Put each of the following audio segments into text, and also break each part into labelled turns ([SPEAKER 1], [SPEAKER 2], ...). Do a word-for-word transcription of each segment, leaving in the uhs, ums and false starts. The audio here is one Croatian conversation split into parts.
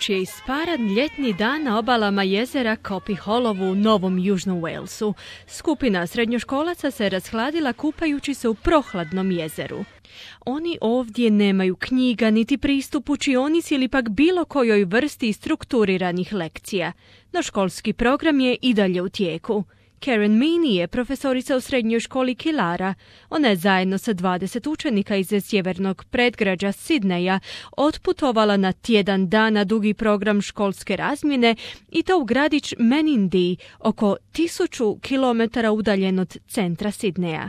[SPEAKER 1] Vruć je isparan ljetni dan na obalama jezera Coppy Hollow u Novom Južnom Walesu. Skupina srednjoškolaca se rashladila kupajući se u prohladnom jezeru. Oni ovdje nemaju knjiga, niti pristup učionici ili pak bilo kojoj vrsti strukturiranih lekcija. No školski program je i dalje u tijeku. Karen Meaney je profesorica u srednjoj školi Killara. Ona je zajedno sa dvadeset učenika iz sjevernog predgrađa Sydneya otputovala na tjedan dana dugi program školske razmjene i to u gradić Menindee, oko tisuću kilometara udaljen od centra Sydneya.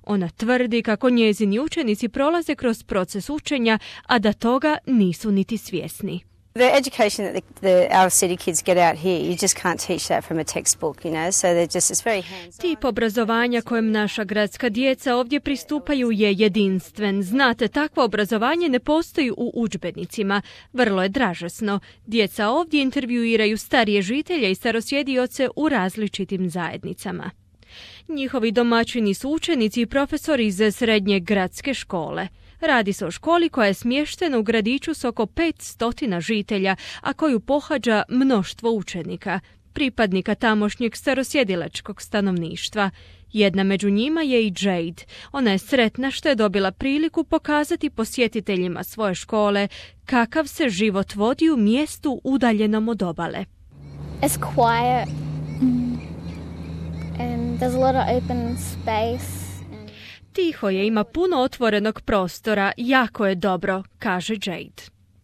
[SPEAKER 1] Ona tvrdi kako njezini učenici prolaze kroz proces učenja, a da toga nisu niti svjesni.
[SPEAKER 2] The education that the, the, our city kids get out here, you just can't teach that from a textbook, you know, so they're just, it's very hands-on.
[SPEAKER 1] Tip obrazovanja kojem naša gradska djeca ovdje pristupaju je jedinstven. Znate, takvo obrazovanje ne postoji u udžbenicima. Vrlo je dražesno. Djeca ovdje intervjuiraju starije žitelje i starosjedioce u različitim zajednicama. Njihovi domaćini su učenici i profesori iz srednje gradske škole. Radi se o školi koja je smještena u gradiću s oko pet stotina žitelja, a koju pohađa mnoštvo učenika, pripadnika tamošnjeg starosjedilačkog stanovništva. Jedna među njima je i Jade. Ona je sretna što je dobila priliku pokazati posjetiteljima svoje škole kakav se život vodi u mjestu udaljenom od obale.
[SPEAKER 3] It's quiet. And there's a lot of open space.
[SPEAKER 1] Tiho je, ima puno otvorenog prostora, jako je dobro, kaže Jade.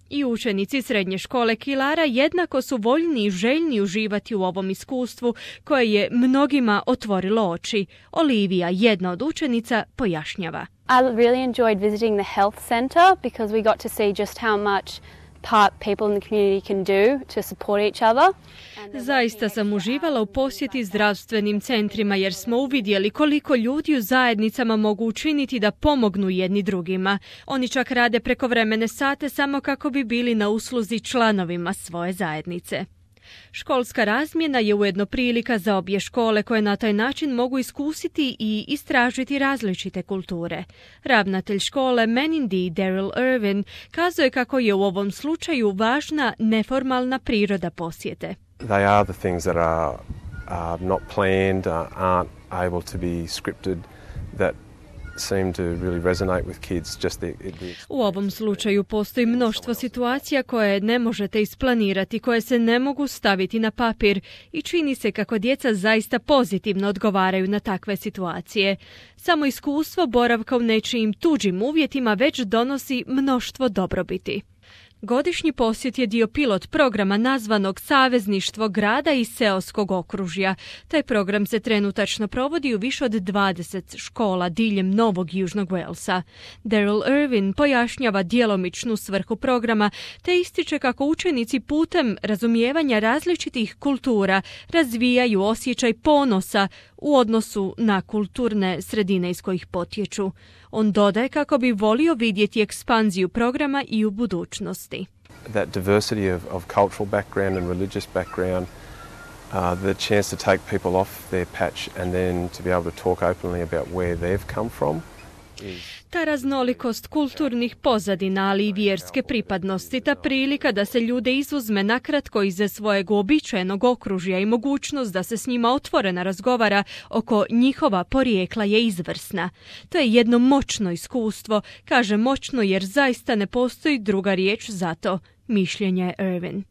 [SPEAKER 1] I učenici srednje škole Killara jednako su voljni i željni uživati u ovom iskustvu koje je mnogima otvorilo oči. Olivia, jedna od učenica, pojašnjava.
[SPEAKER 4] I really enjoyed visiting the health center because we got to see just how much part people in the community can do to support each other.
[SPEAKER 1] Zaista sam uživala u posjeti zdravstvenim centrima jer smo uvidjeli koliko ljudi u zajednicama mogu učiniti da pomognu jedni drugima. Oni čak rade prekovremene sate samo kako bi bili na usluzi članovima svoje zajednice. Školska razmjena je ujedno prilika za obje škole koje na taj način mogu iskusiti i istražiti različite kulture. Ravnatelj škole Menindee, Daryl Irvin, kazuje kako je u ovom slučaju važna neformalna priroda posjete.
[SPEAKER 5] They are the things that are uh, not planned, uh, aren't able to be scripted, that seem to really resonate with kids. Just the, the...
[SPEAKER 1] U ovom slučaju postoji mnoštvo situacija koje ne možete isplanirati, koje se ne mogu staviti na papir i čini se kako djeca zaista pozitivno odgovaraju na takve situacije. Samo iskustvo boravka u nečijim tuđim uvjetima već donosi mnoštvo dobrobiti. Godišnji posjet je dio pilot programa nazvanog Savezništvo grada i seoskog okružja. Taj program se trenutačno provodi u više od dvadeset škola diljem Novog Južnog Walesa. Daryl Irvin pojašnjava djelomičnu svrhu programa te ističe kako učenici putem razumijevanja različitih kultura razvijaju osjećaj ponosa u odnosu na kulturne sredine iz kojih potječu. On dodaje kako bi volio vidjeti ekspanziju programa i u budućnosti.
[SPEAKER 5] That diversity of, of cultural background and religious background, uh, the chance to take people off their patch and then to be able to talk openly about where they've come from.
[SPEAKER 1] Ta raznolikost kulturnih pozadina, ali i vjerske pripadnosti, ta prilika da se ljude izuzme nakratko iz svojeg uobičajenog okružja i mogućnost da se s njima otvoreno razgovara oko njihova porijekla je izvrsna. To je jedno moćno iskustvo, kaže moćno jer zaista ne postoji druga riječ za to, mišljenje Irvin.